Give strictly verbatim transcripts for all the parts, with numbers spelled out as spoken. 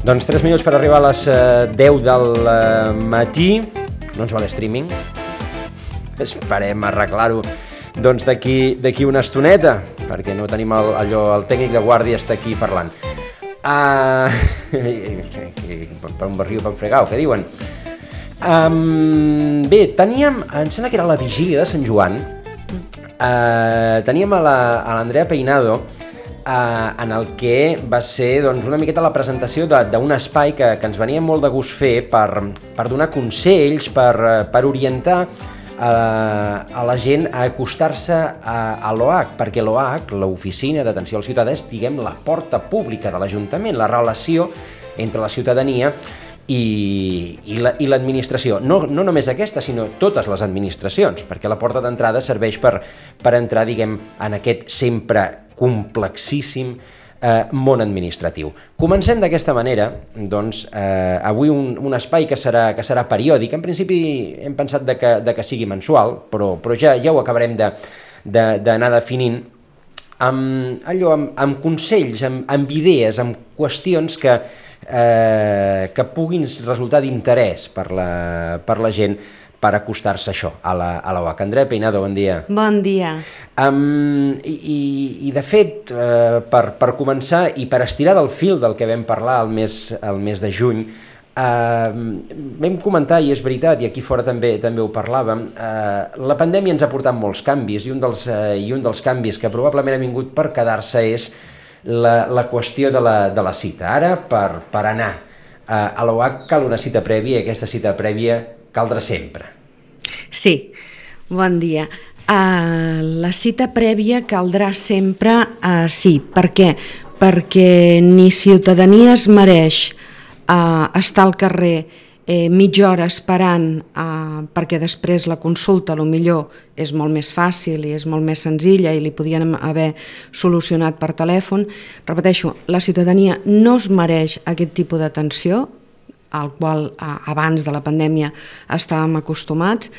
Doncs tres minuts per arribar a les deu del matí. No ens va l'streaming. Esperem arreglar-ho doncs d'aquí d'aquí una estoneta, perquè no tenim el, allò, el tècnic de guàrdia està aquí parlant. Uh, per un barril, per un fregau, què diuen? Um, bé, teníem, em sembla que era la vigília de Sant Joan, uh, teníem a l'Andrea Peinado, Uh, en el que va ser doncs, una miqueta la presentació d'un espai que, que ens venia molt de gust fer per, per donar consells, per, per orientar uh, a la gent a acostar-se a, a l'O H, perquè l'O H, l'Oficina d'Atenció al Ciutadà, és, diguem, la porta pública de l'Ajuntament, la relació entre la ciutadania i, i l'administració. No, no només aquesta, sinó totes les administracions, perquè la porta d'entrada serveix per, per entrar, diguem, en aquest sempre complexíssim eh, món administratiu. Comencem d'aquesta manera, doncs, eh, avui un, un espai que serà, que serà periòdic. En principi hem pensat de que, de que sigui mensual, però, però ja, ja ho acabarem d'anar de, definint amb, allò, amb, amb consells, amb, amb idees, amb qüestions que, eh, que puguin resultar d'interès per la, per la gent, per acostar-se a això, a la, a la U H. Andrea Peinado, bon dia. Bon dia. Um, i, i de fet, uh, per, per començar i per estirar del fil del que vam parlar el mes, el mes de juny, uh, vam comentar, i és veritat, i aquí fora també també ho parlàvem, uh, la pandèmia ens ha portat molts canvis, i un dels, uh, i un dels canvis que probablement ha vingut per quedar-se és la, la qüestió de la, de la cita. Ara, per, per anar uh, a la U H cal una cita prèvia, i aquesta cita prèvia caldrà sempre. Sí, bon dia. Uh, la cita prèvia caldrà sempre, uh, sí. Per què? Perquè ni ciutadania es mereix uh, estar al carrer eh, mitja hora esperant, uh, perquè després la consulta a lo millor és molt més fàcil i és molt més senzilla i li podien haver solucionat per telèfon. Repeteixo, la ciutadania no es mereix aquest tipus d'atenció, al qual abans de la pandèmia estàvem acostumats,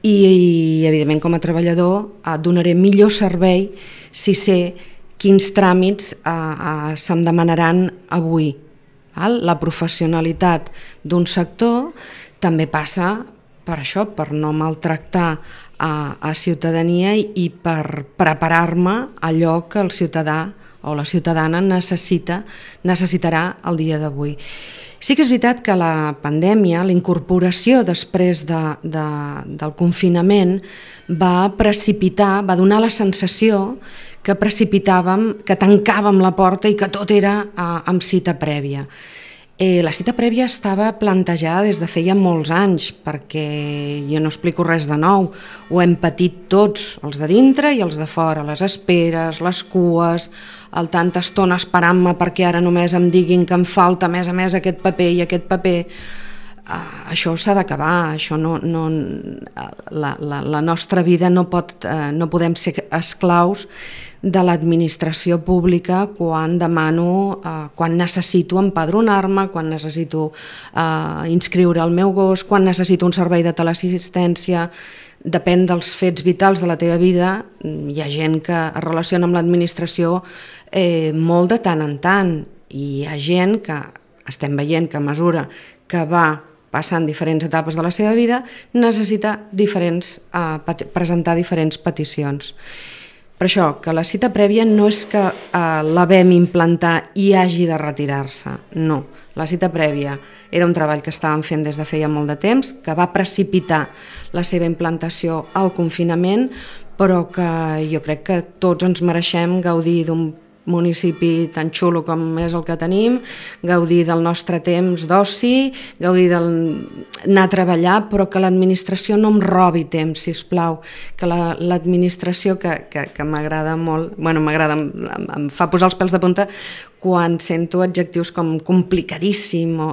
i, i evidentment com a treballador donaré millor servei si sé quins tràmits eh, eh, se'm demanaran avui. Val? La professionalitat d'un sector també passa per això, per no maltractar a, a ciutadania i per preparar-me allò que el ciutadà o la ciutadana necessita, necessitarà el dia d'avui. Sí que és veritat que la pandèmia, la incorporació després de, de, del confinament va precipitar, va donar la sensació que precipitàvem, que tancàvem la porta i que tot era eh, amb cita prèvia. Eh, la cita prèvia estava plantejada des de feia molts anys, perquè jo no explico res de nou, ho hem patit tots, els de dintre i els de fora, les esperes, les cues, el tanta estona esperant-me perquè ara només em diguin que em falta a més a més aquest paper i aquest paper. Uh, això s'ha d'acabar, això no, no, la, la, la nostra vida no pot, uh, no podem ser esclaus de l'administració pública quan demano, uh, quan necessito empadronar-me, quan necessito uh, inscriure el meu gos, quan necessito un servei de teleassistència. Depèn dels fets vitals de la teva vida. Hi ha gent que es relaciona amb l'administració eh, molt de tant en tant, i hi ha gent que estem veient que a mesura que va passant diferents etapes de la seva vida necessita diferents, eh, presentar diferents peticions. Per això, que la cita prèvia no és que eh, la vam implantar i hagi de retirar-se, no. La cita prèvia era un treball que estàvem fent des de feia molt de temps, que va precipitar la seva implantació al confinament, però que jo crec que tots ens mereixem gaudir d'un municipi tan xulo com és el que tenim, gaudir del nostre temps d'oci, gaudir d'anar a treballar, però que l'administració no em robi temps, sisplau, que l'administració, que, que, que m'agrada molt, bueno, m'agrada, em, em fa posar els pèls de punta quan sento adjectius com complicadíssim, o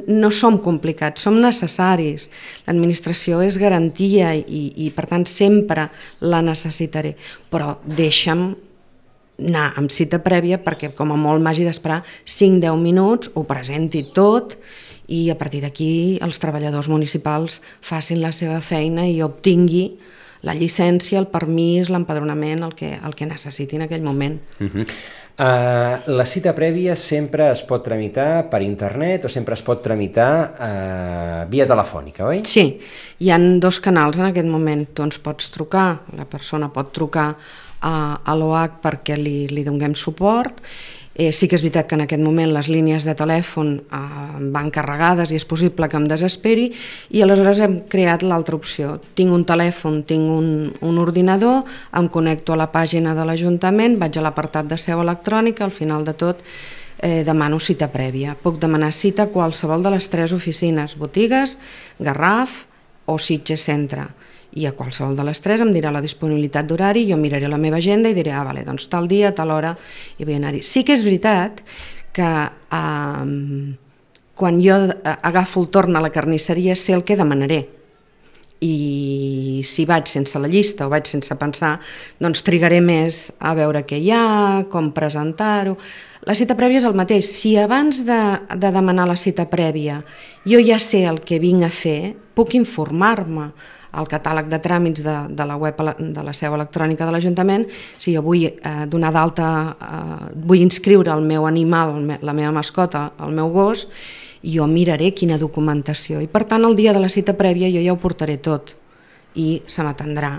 no som complicats, som necessaris. L'administració és garantia i, i per tant sempre la necessitaré, però deixa'm anar amb cita prèvia perquè com a molt m'hagi d'esperar cinc a deu minuts, ho presenti tot i a partir d'aquí els treballadors municipals facin la seva feina i obtingui la llicència, el permís, l'empadronament, el que, el que necessiti en aquell moment. Uh-huh. Uh, la cita prèvia sempre es pot tramitar per internet o sempre es pot tramitar uh, via telefònica, oi? Sí, hi ha dos canals en aquest moment. Tu ens pots trucar, la persona pot trucar a, a l'O H perquè li, li donem suport. Eh, sí que és veritat que en aquest moment les línies de telèfon eh, van carregades i és possible que em desesperi, i aleshores hem creat l'altra opció. Tinc un telèfon, tinc un, un ordinador, em connecto a la pàgina de l'Ajuntament, vaig a l'apartat de seu electrònica, al final de tot eh, demano cita prèvia. Puc demanar cita a qualsevol de les tres oficines, Botigues, Garraf o Sitges Centre. I a qualsevol de les tres em dirà la disponibilitat d'horari, jo miraré la meva agenda i diré, ah, vale, doncs tal dia, tal hora, i vull anar-hi. Sí que és veritat que eh, quan jo agafo el torn a la carnisseria sé el que demanaré, i si vaig sense la llista o vaig sense pensar, doncs trigaré més a veure què hi ha, com presentar-ho. La cita prèvia és el mateix. Si abans de, de demanar la cita prèvia jo ja sé el que vinc a fer, puc informar-me al catàleg de tràmits de, de la web de la seu electrònica de l'Ajuntament. Si jo vull eh, donar d'alta, eh, vull inscriure el meu animal, la meva mascota, el meu gos, jo miraré quina documentació, i per tant el dia de la cita prèvia jo ja ho portaré tot i se m'atendrà.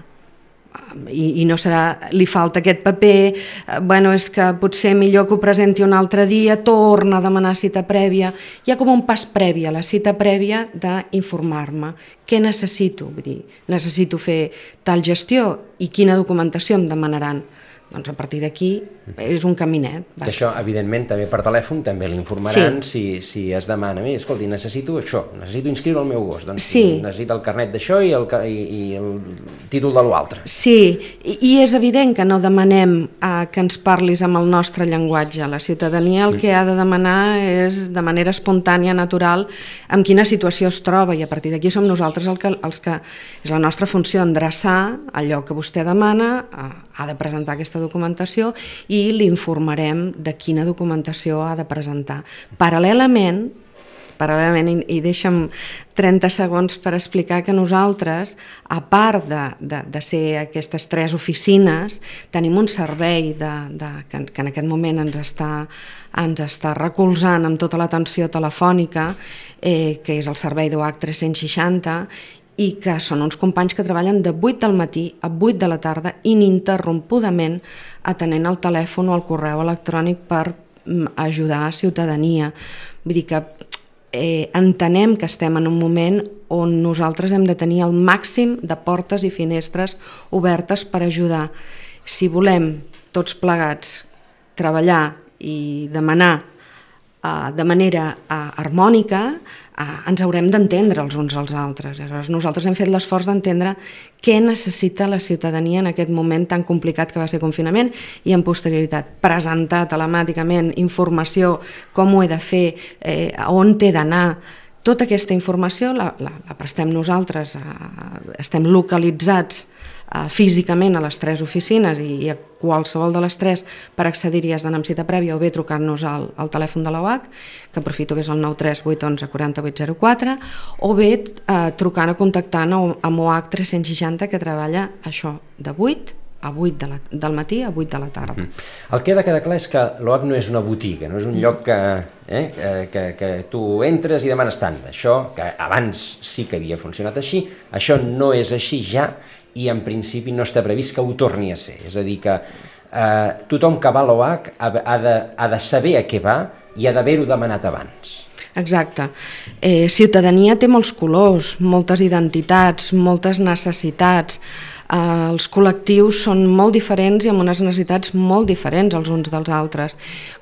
I, i no serà, li falta aquest paper, eh, bueno, és que potser millor que ho presenti un altre dia, torna a demanar cita prèvia. Hi ha com un pas previ a la cita prèvia d'informar-me què necessito, vull dir, necessito fer tal gestió i quina documentació em demanaran. Doncs a partir d'aquí és un caminet. Que això, evidentment, també per telèfon també l'informaran, sí. si, si es demana, mira, escolti, necessito això, necessito inscriure el meu gos, doncs sí. necessita el carnet d'això i el, i, i el títol de l'altre. Sí, i, i és evident que no demanem eh, que ens parlis amb el nostre llenguatge. La ciutadania el mm. que ha de demanar és, de manera espontània, natural, en quina situació es troba, i a partir d'aquí som nosaltres el que, els que és la nostra funció endreçar allò que vostè demana, eh, ha de presentar aquesta documentació i l'informarem de quina documentació ha de presentar. Paral·lelament, paral·lelament i, i deixa'm trenta segons per explicar que nosaltres, a part de, de, de ser aquestes tres oficines, tenim un servei de, de, que, que en aquest moment ens està, ens està recolzant amb tota l'atenció telefònica, eh, que és el servei d'O H tres-cents seixanta, i que són uns companys que treballen de vuit del matí a vuit de la tarda ininterrompudament atenent el telèfon o el correu electrònic per ajudar a ciutadania. Vull dir que eh, entenem que estem en un moment on nosaltres hem de tenir el màxim de portes i finestres obertes per ajudar. Si volem tots plegats treballar i demanar Uh, de manera uh, harmònica, uh, ens haurem d'entendre els uns als altres. Aleshores, nosaltres hem fet l'esforç d'entendre què necessita la ciutadania en aquest moment tan complicat que va ser confinament, i en posterioritat presentar telemàticament informació, com ho he de fer, eh, on he d'anar. Tota aquesta informació la, la, la prestem nosaltres, uh, estem localitzats Uh, físicament a les tres oficines, i, i a qualsevol de les tres per accedir-hi has d'anar amb cita prèvia o bé trucar-nos al, al telèfon de l'O H, que aprofito que és el nou tres vuit onze quatre vuit zero quatre, o bé uh, trucant o contactant amb O H tres-cents seixanta, que treballa això de vuit a vuit de la, del matí a vuit de la tarda. Mm-hmm. El que ha de quedar clar és que l'O H no és una botiga, no és un lloc que, eh, que, que, que tu entres i demanes tant. Això, que abans sí que havia funcionat així, això no és així ja, i en principi no està previst que ho torni a ser. És a dir, que eh, tothom que va a l'O H ha, ha, de, ha de saber a què va i ha d'haver-ho demanat abans. Exacte. Eh, ciutadania té molts colors, moltes identitats, moltes necessitats. Eh, els col·lectius són molt diferents i amb unes necessitats molt diferents els uns dels altres.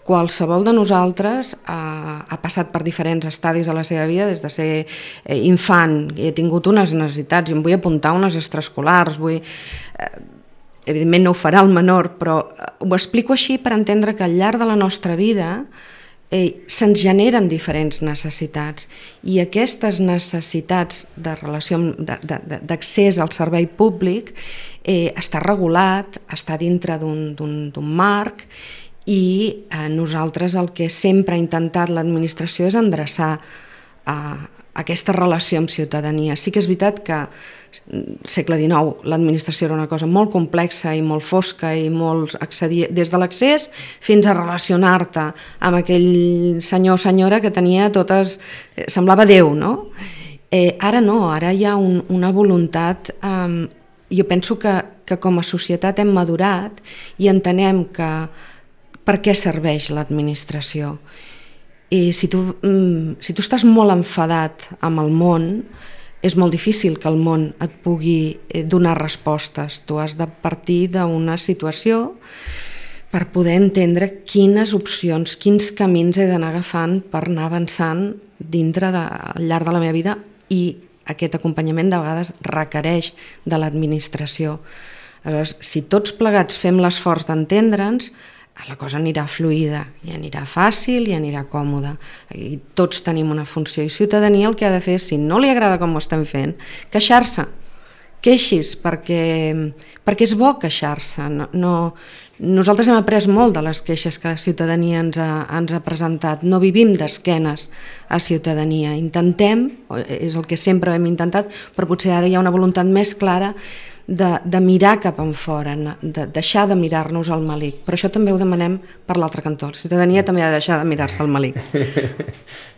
Qualsevol de nosaltres eh, ha passat per diferents estadis de la seva vida, des de ser eh, infant, i he tingut unes necessitats, i em vull apuntar unes extraescolars, vull... Eh, evidentment no ho farà el menor, però ho explico així per entendre que al llarg de la nostra vida eh, se'ns generen diferents necessitats, i aquestes necessitats de relació d'accés al servei públic eh, està regulat, està dintre d'un marc, i eh, nosaltres el que sempre ha intentat l'administració és endreçar a, aquesta relació amb ciutadania. Sí que és veritat que segle dinou l'administració era una cosa molt complexa i molt fosca i molt accedir, des de l'accés fins a relacionar-te amb aquell senyor o senyora que tenia totes, semblava Déu, no? Eh, ara no, ara hi ha un, una voluntat, eh, jo penso que, que com a societat hem madurat i entenem que per què serveix l'administració. I si tu, si tu estàs molt enfadat amb el món, és molt difícil que el món et pugui donar respostes. Tu has de partir d'una situació per poder entendre quines opcions, quins camins he d'anar agafant per anar avançant dintre de, al llarg de la meva vida, i aquest acompanyament de vegades requereix de l'administració. Aleshores, si tots plegats fem l'esforç d'entendre'ns, la cosa anirà fluida, i anirà fàcil i anirà còmoda. I tots tenim una funció, i ciutadania el que ha de fer, si no li agrada com ho estem fent, queixar-se, queixis, perquè, perquè és bo queixar-se. No, no, nosaltres hem après molt de les queixes que la ciutadania ens ha, ens ha presentat, no vivim d'esquenes a ciutadania, intentem, és el que sempre hem intentat, però potser ara hi ha una voluntat més clara De, de mirar cap enfora, de deixar de mirar-nos al malic. Però això també ho demanem per l'altre cantó. La ciutadania també ha de deixar de mirar-se al malic.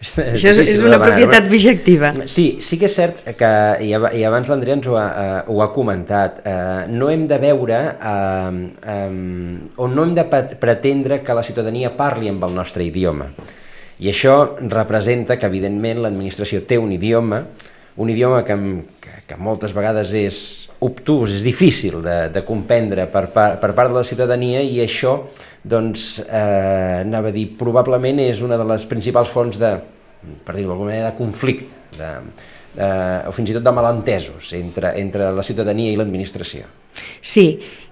Això és, és una propietat bijectiva. Sí, sí que és cert que, i abans l'Andrea ens ho ha, uh, ho ha comentat, uh, no hem de veure, uh, um, o no hem de pretendre que la ciutadania parli amb el nostre idioma. I això representa que, evidentment, l'administració té un idioma, un idioma que, que, que moltes vegades és obtús, és difícil de, de comprendre per, per, per part de la ciutadania, i això, doncs, eh, anava a dir, probablement és una de les principals fonts de, per dir-ho d'alguna manera, de conflicte, de, de, o fins i tot de malentesos entre, entre la ciutadania i l'administració. Sí,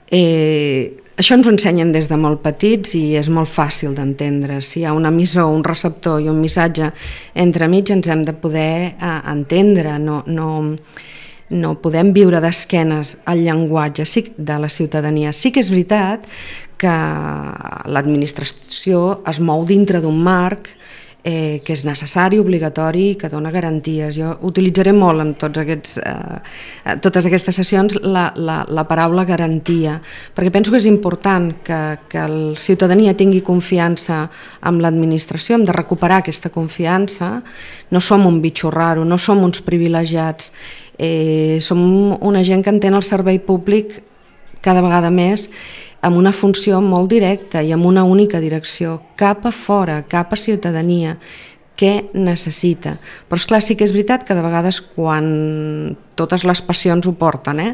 eh, això ens ho ensenyen des de molt petits i és molt fàcil d'entendre. Si hi ha un emissor, un receptor i un missatge entremig, ens hem de poder eh, entendre, no... no no podem viure d'esquenes al llenguatge de la ciutadania. Sí que és veritat que l'administració es mou dintre d'un marc eh, que és necessari, obligatori i que dona garanties. Jo utilitzaré molt en tots aquests, eh, totes aquestes sessions la, la, la paraula garantia, perquè penso que és important que, que la ciutadania tingui confiança amb l'administració, hem de recuperar aquesta confiança. No som un bitxo raro, no som uns privilegiats, Eh, som una gent que entén el servei públic cada vegada més amb una funció molt directa i amb una única direcció, cap a fora, cap a ciutadania, què necessita. Però esclar, sí que és veritat que de vegades quan totes les passions ho porten, eh?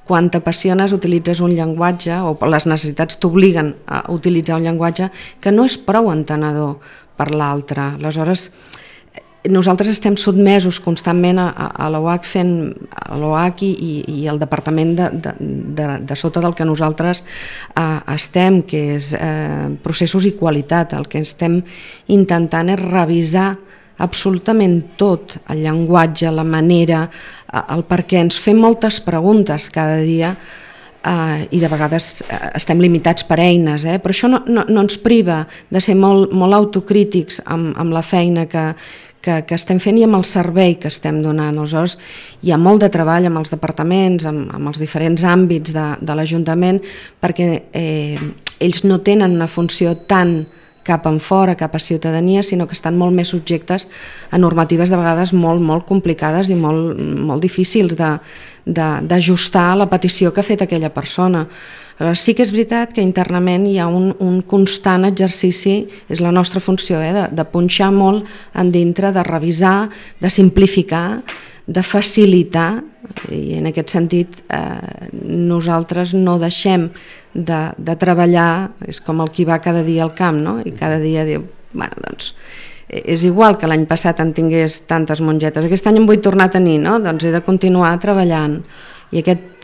Quan t'apassiones utilitzes un llenguatge, o les necessitats t'obliguen a utilitzar un llenguatge que no és prou entenedor per l'altre. Aleshores, nosaltres estem sotmesos constantment a, a l'O H fent a l'O H i, i el departament de, de, de, de sota del que nosaltres eh, estem, que és eh, processos i qualitat. El que estem intentant és revisar absolutament tot, el llenguatge, la manera, el per què. Ens fem moltes preguntes cada dia eh, i de vegades estem limitats per eines, eh? Però això no, no, no ens priva de ser molt, molt autocrítics amb, amb la feina que Que, que estem fent i amb el servei que estem donant. Aleshores, hi ha molt de treball amb els departaments, amb, amb els diferents àmbits de, de l'Ajuntament, perquè eh, ells no tenen una funció tant cap en fora, cap a ciutadania, sinó que estan molt més subjectes a normatives de vegades molt, molt complicades i molt, molt difícils de, de, d'ajustar a la petició que ha fet aquella persona. Aleshores, sí que és veritat que internament hi ha un, un constant exercici, és la nostra funció, eh, de, de punxar molt en dintre, de revisar, de simplificar, de facilitar, i en aquest sentit eh, nosaltres no deixem de, de treballar, és com el qui va cada dia al camp, no? I cada dia diu, bueno, doncs és igual que l'any passat en tingués tantes mongetes, aquest any en vull tornar a tenir, no? Doncs he de continuar treballant, i aquest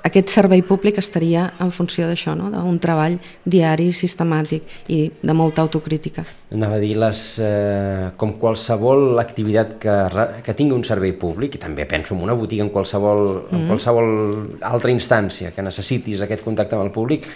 Aquest servei públic estaria en funció d'això, no? D'un treball diari, sistemàtic i de molta autocrítica. Anava a dir, les, eh, com qualsevol activitat que, que tingui un servei públic, i també penso en una botiga, en qualsevol, mm. en qualsevol altra instància que necessitis aquest contacte amb el públic,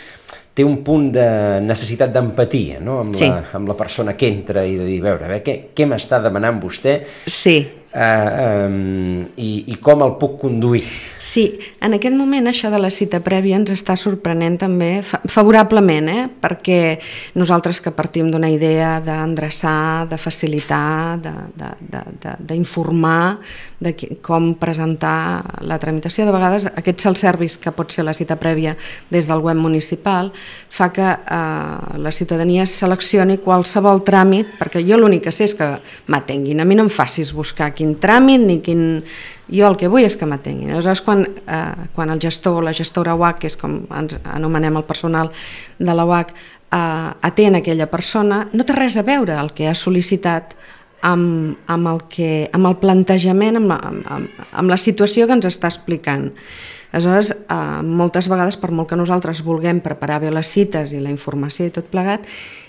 té un punt de necessitat d'empatia, no? Amb, sí. la, amb la persona que entra i de dir, veure, a veure què, què m'està demanant vostè? Sí. Uh, um, i, i com el puc conduir. Sí, en aquest moment això de la cita prèvia ens està sorprenent també fa favorablement, eh? Perquè nosaltres que partim d'una idea d'endreçar, de facilitar, d'informar de, de, de, de com presentar la tramitació, de vegades aquest self-service que pot ser la cita prèvia des del web municipal fa que eh, la ciutadania seleccioni qualsevol tràmit, perquè jo l'únic que sé és que m'atenguin, a mi no em facis buscar quin tràmit ni quin... Jo el que vull és que m'atenguin. Aleshores, quan, eh, quan el gestor o la gestora U A C, que és com ens anomenem el personal de la U A C, eh, atén aquella persona, no té res a veure el que ha sol·licitat amb, amb, el, que, amb el plantejament, amb la, amb, amb la situació que ens està explicant. Aleshores, eh, moltes vegades, per molt que nosaltres vulguem preparar bé les cites i la informació i tot plegat,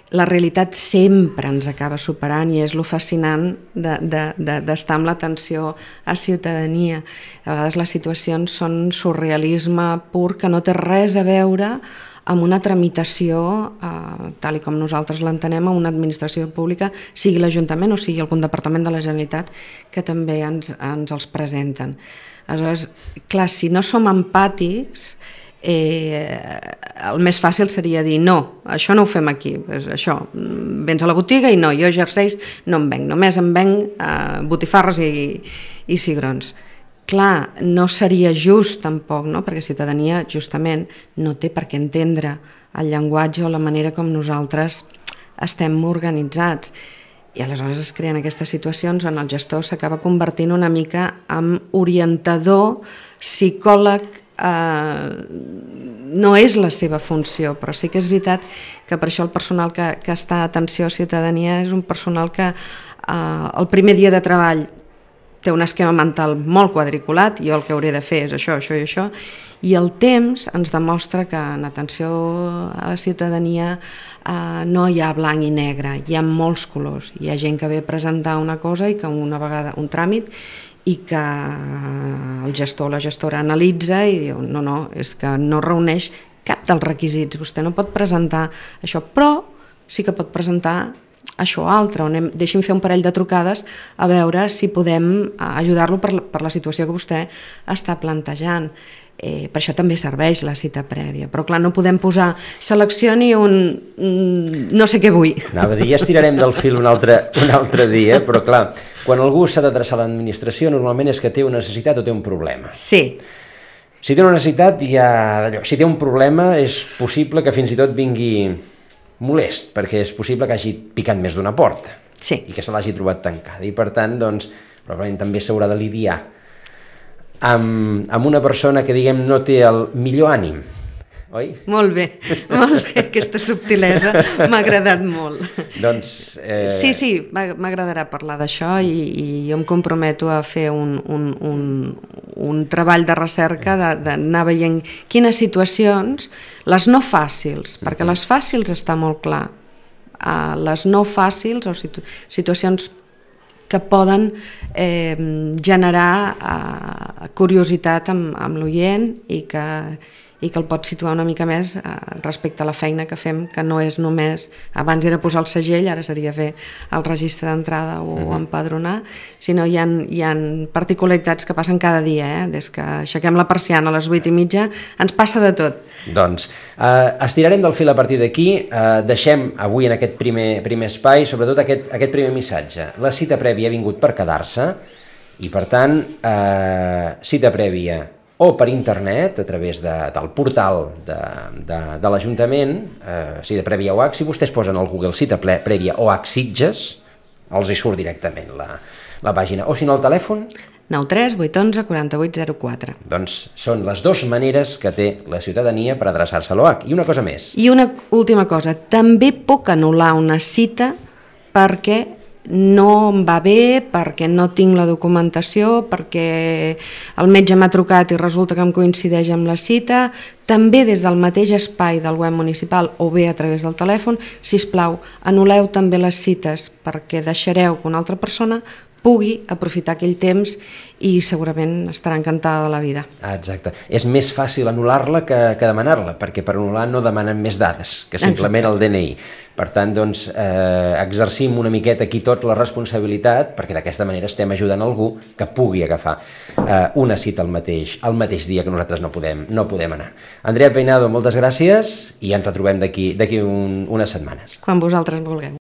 la realitat sempre ens acaba superant i és lo fascinant d'estar de, de, de, amb l'atenció a ciutadania. A vegades les situacions són surrealisme pur que no té res a veure amb una tramitació, eh, tal i com nosaltres l'entenem, a una administració pública, sigui l'Ajuntament o sigui algun departament de la Generalitat, que també ens, ens els presenten. Aleshores, clar, si no som empàtics, Eh, el més fàcil seria dir no, això no ho fem aquí, és això, vens a la botiga i no, jo jerseis no em venc, només em venc eh, botifarres i, i cigrons. Clar, no seria just tampoc, no? Perquè ciutadania justament no té per què entendre el llenguatge o la manera com nosaltres estem organitzats. I aleshores es creen aquestes situacions on el gestor s'acaba convertint una mica en orientador, psicòleg. Uh, no és la seva funció, però sí que és veritat que per això el personal que, que està a atenció a ciutadania és un personal que uh, el primer dia de treball té un esquema mental molt quadriculat, jo el que hauré de fer és això, això i això, i el temps ens demostra que en atenció a la ciutadania uh, no hi ha blanc i negre, hi ha molts colors, hi ha gent que ve a presentar una cosa i que una vegada un tràmit i que el gestor o la gestora analitza i diu no, no, és que no reuneix cap dels requisits, vostè no pot presentar això, però sí que pot presentar això o altre, on hem, deixi'm fer un parell de trucades a veure si podem ajudar-lo per, per la situació que vostè està plantejant. Eh, per això també serveix la cita prèvia, però clar, no podem posar seleccioni un mm, no sé què vull. Anava a dir, ja estirarem del fil un altre, un altre dia, però clar, quan algú s'ha d'adreçar a l'administració normalment és que té una necessitat o té un problema. Sí. Si té una necessitat, ja d'allò. Si té un problema, és possible que fins i tot vingui molest, perquè és possible que hagi picat més d'una porta. Sí. I que se l'hagi trobat tancada. I per tant, doncs, probablement també s'haurà d'aliviar Amb, amb una persona que, diguem, no té el millor ànim, oi? Molt bé, molt bé, aquesta subtilesa m'ha agradat molt. Doncs... Eh... Sí, sí, m'agradarà parlar d'això i, i jo em comprometo a fer un, un, un, un treball de recerca, d'anar veient quines situacions, les no fàcils, perquè les fàcils està molt clar, uh, les no fàcils o situ situacions que poden eh, generar eh, curiositat amb, amb l'oient i que, i que el pot situar una mica més eh, respecte a la feina que fem, que no és només, abans era posar el segell, ara seria fer el registre d'entrada o uh-huh. empadronar, sinó hi ha, hi ha particularitats que passen cada dia, eh? Des que aixequem la persiana a les vuit i mitja, ens passa de tot. Doncs eh, estirarem del fil a partir d'aquí, eh, deixem avui en aquest primer, primer espai, sobretot aquest, aquest primer missatge. La cita prèvia ha vingut per quedar-se i per tant, eh, cita prèvia o per internet, a través de, del portal de, de, de l'Ajuntament, eh, cita prèvia O A C, si vostès posen al Google cita prèvia O A C Sitges, els hi surt directament la, la pàgina, o si no el telèfon... nou tres vuit onze quaranta-vuit zero quatre. Doncs són les dues maneres que té la ciutadania per adreçar-se a l'O A C. I una cosa més. I una última cosa, també puc anul·lar una cita perquè no em va bé, perquè no tinc la documentació, perquè el metge m'ha trucat i resulta que em coincideix amb la cita, també des del mateix espai del web municipal o bé a través del telèfon, sisplau, anul·leu també les cites perquè deixareu que una altra persona pugui aprofitar aquell temps i segurament estarà encantada de la vida. Ah, exacte. És més fàcil anul·lar-la que, que demanar-la, perquè per anul·lar no demanen més dades que simplement Exacte. El D N I. Per tant, doncs, eh, exercim una miqueta aquí tot la responsabilitat, perquè d'aquesta manera estem ajudant algú que pugui agafar eh, una cita el mateix, el mateix dia que nosaltres no podem, no podem anar. Andrea Peinado, moltes gràcies i ens retrobem d'aquí d'aquí un, unes setmanes. Quan vosaltres vulgueu.